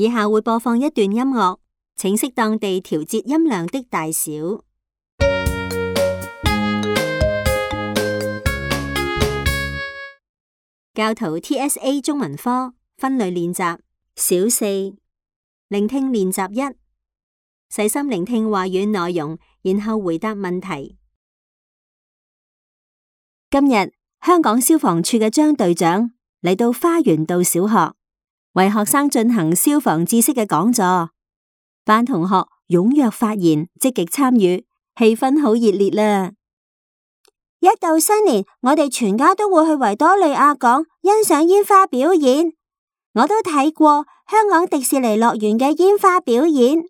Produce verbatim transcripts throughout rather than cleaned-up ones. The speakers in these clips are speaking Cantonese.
以下會播放一段音樂，請適當地調節音量的大小。教徒 T S A 中文科分類練習小四，聆聽練習一，細心聆聽話語內容，然後回答問題。今日香港消防處嘅張隊長嚟到花園道小學，為學生進行消防知識嘅講座。班同學踴躍發言，積極參與，氣氛好熱烈啦！一到新年，我哋全家都會去維多利亞港欣賞煙花表演。我都睇過香港迪士尼樂園嘅煙花表演，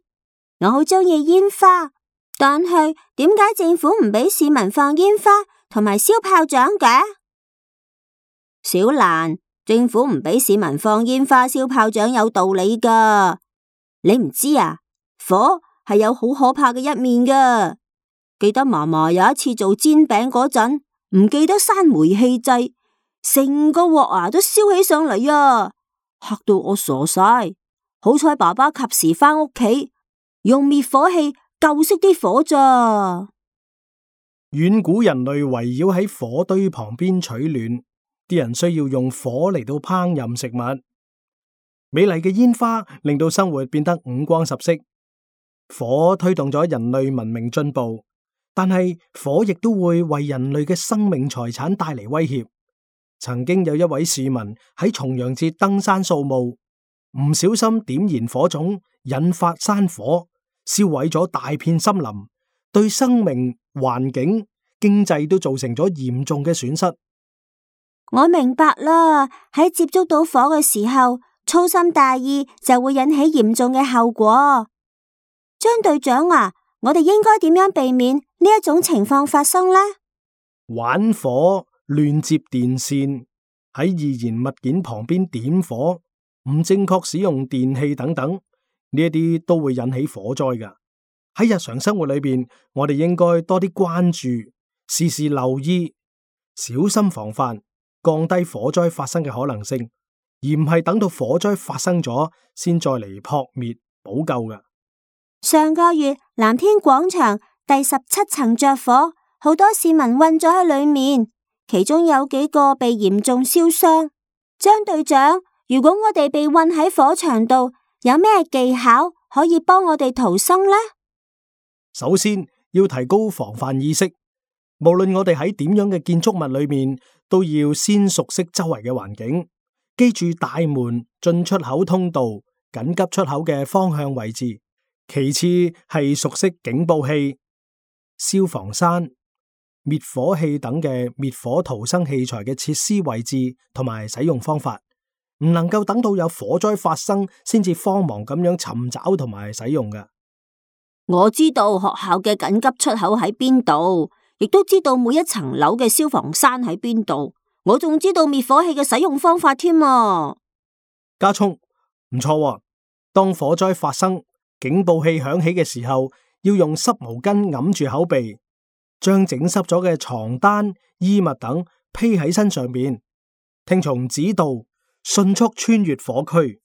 我好鍾意煙花。但係點解政府唔俾市民放煙花同埋燒炮仗嘅？小蘭，政府唔俾市民放煙花燒炮仗有道理噶。你唔知啊？火係有好可怕嘅一面噶。記得嫲嫲有一次做煎餅嗰陣，唔記得閂煤氣掣，成個鑊啊都燒起上嚟啊，嚇到我傻晒。好彩爸爸及時返屋企，用滅火器救熄啲火咋。遠古人類圍繞喺火堆旁邊取暖，啲人需要用火嚟到烹飪食物。美麗嘅煙花令到生活變得五光十色，火推動咗人類文明進步。但係火亦都會為人類嘅生命財產帶嚟威脅。曾經有一位市民喺重陽節登山掃墓，唔小心點燃火種，引發山火，燒毀咗大片森林，對生命、環境、經濟都造成咗嚴重嘅損失。我明白啦，喺接觸到火嘅時候，粗心大意就會引起嚴重嘅後果。張隊長啊，我哋應該點樣避免呢一種情況發生呢？玩火、亂接電線、喺易燃物件旁邊點火、唔正確使用電器等等，呢一啲都會引起火災㗎。喺日常生活裏邊，我哋應該多啲關注，時時留意，小心防範，降低火災發生嘅可能性，而唔係等到火災發生咗先再嚟撲滅補救㗎。上個月藍天廣場第十七層着火，好多市民困咗喺裏面，其中有幾個被嚴重燒傷。張隊長，如果我哋被困喺火場度，有咩技巧可以幫我哋逃生呢？首先要提高防範意識，無論我哋喺點樣嘅建築物裏面，都要先熟悉周圍嘅環境，記住大門、進出口通道、緊急出口嘅方向位置。其次係熟悉警報器、消防栓、滅火器等嘅滅火逃生器材嘅設施位置同埋使用方法，唔能夠等到有火災發生先至慌忙咁樣尋找同埋使用㗎。我知道學校嘅緊急出口喺邊度，亦都知道每一層樓嘅消防栓喺邊度，我仲知道滅火器嘅使用方法添啊！家聰，唔錯喎，當火災發生，警報器響起嘅時候，要用濕毛巾揞住口鼻，將整濕咗嘅床單、衣物等披喺身上面，聽從指導，迅速穿越火區。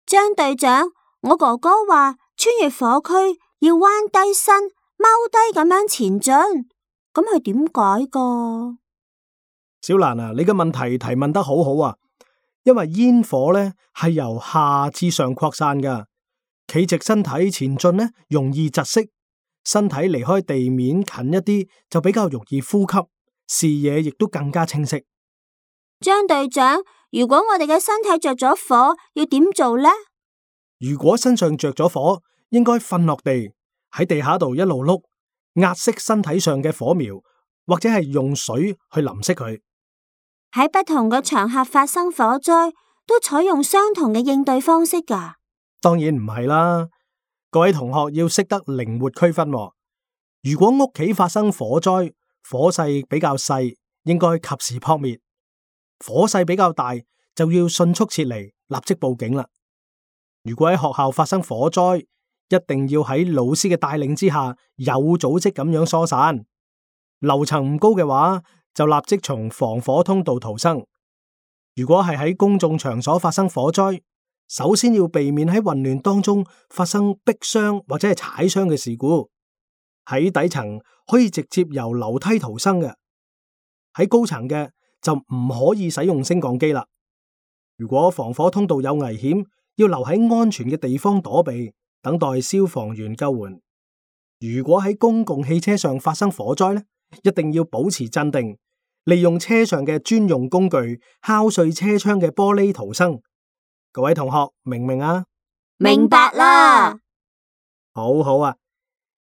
張隊長，我哥哥話穿越火區要彎低身、踎低咁樣前進，咁係點解噶？小蘭啊，你嘅問題提問得好好啊，因為煙火咧係由下至上擴散噶。企直身體前進呢，容易窒息；身體離開地面近一啲，就比較容易呼吸，視野亦都更加清晰。張隊長，如果我哋嘅身體着咗火，要點做呢？如果身上着咗火，應該瞓落地，喺地下度一路碌，壓熄身體上嘅火苗，或者係用水去淋熄佢。喺不同嘅場合發生火災，都採用相同嘅應對方式噶？當然唔係啦，各位同學要識得靈活區分喎。如果屋企發生火災，火勢比較細，應該及時撲滅；火勢比較大，就要迅速撤離，立即報警啦。如果喺學校發生火災，一定要喺老師嘅帶領之下，有組織咁樣疏散。樓層唔高嘅話，就立即從防火通道逃生。如果係喺公眾場所發生火災，首先要避免喺混亂當中發生逼傷或者係踩傷嘅事故。喺底層可以直接由樓梯逃生嘅，喺高層嘅就唔可以使用升降機啦。如果防火通道有危險，要留喺安全嘅地方躲避，等待消防員救援。如果喺公共汽車上發生火災咧，一定要保持鎮定，利用車上嘅專用工具敲碎車窗嘅玻璃逃生。各位同學明唔明啊？明白啦。好好啊，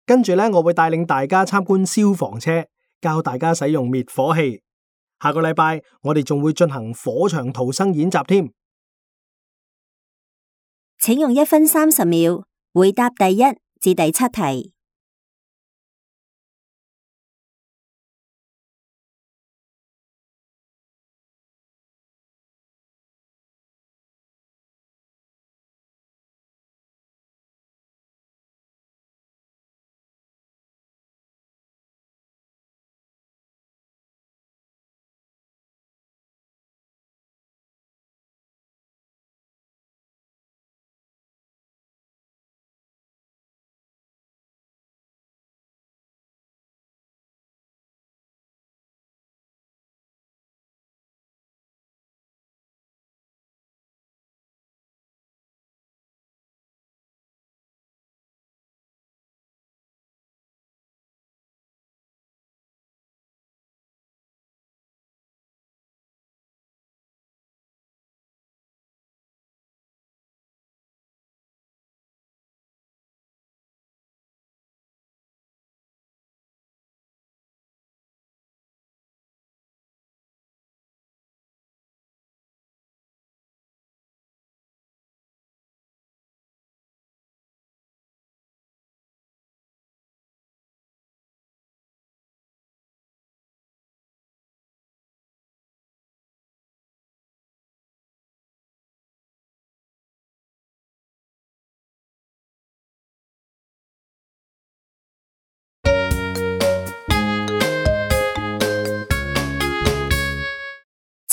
跟住咧我會帶領大家參觀消防車，教大家使用滅火器。下個禮拜我哋仲會進行火場逃生演習添。請用一分三十秒回答第一至第七題。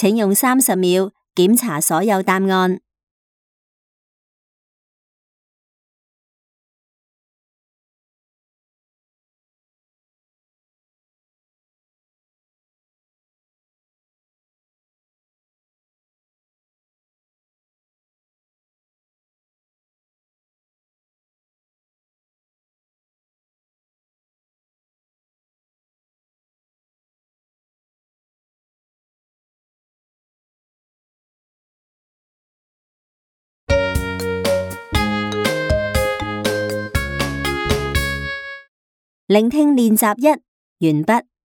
請用三十秒檢查所有答案。聆聽練習一完畢。